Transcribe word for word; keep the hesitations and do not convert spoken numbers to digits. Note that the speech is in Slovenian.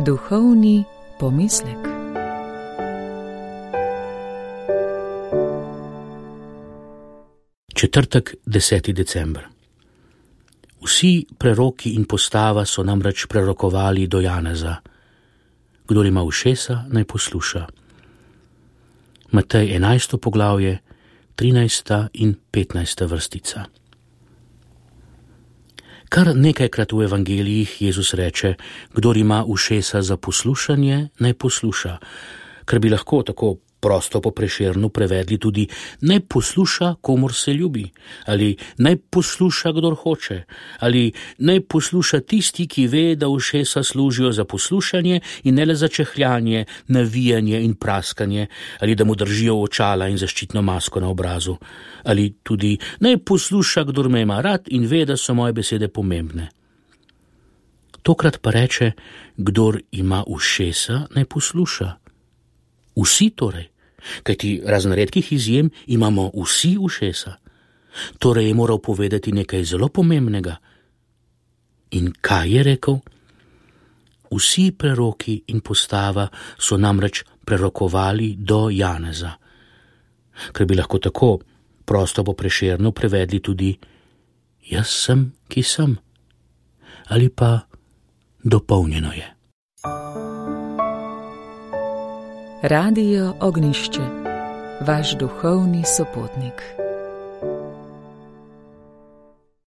Duhovni pomislek. Četrtek, deseti december. Vsi preroki in postava so namreč prerokovali do Janeza. Kdor ima ušesa, naj posluša. Matej enajsto poglavje, trinajsta in petnajsta vrstica. Kar nekajkrat v evangelijih Jezus reče, kdor ima ušesa za poslušanje, naj posluša, kar bi lahko tako prosto po Prešernu prevedli tudi naj posluša, komur se ljubi, ali naj posluša, kdor hoče, ali naj posluša tisti, ki ve, da ušesa služijo za poslušanje in ne le za čehljanje, navijanje in praskanje, ali da mu držijo očala in zaščitno masko na obrazu, ali tudi naj posluša, kdor me ima rad in ve, da so moje besede pomembne. Tokrat pa reče, kdor ima ušesa, naj posluša. Vsi torej, kajti razen redkih izjem imamo vsi ušesa. Torej je moral povedati nekaj zelo pomembnega. In kaj je rekel? Vsi preroki in postava so namreč prerokovali do Janeza. Ker bi lahko tako prosto po Prešernu prevedli tudi jaz sem, ki sem. Ali pa dopolnjeno je. Radio Ognjišče, vaš duhovni sopotnik.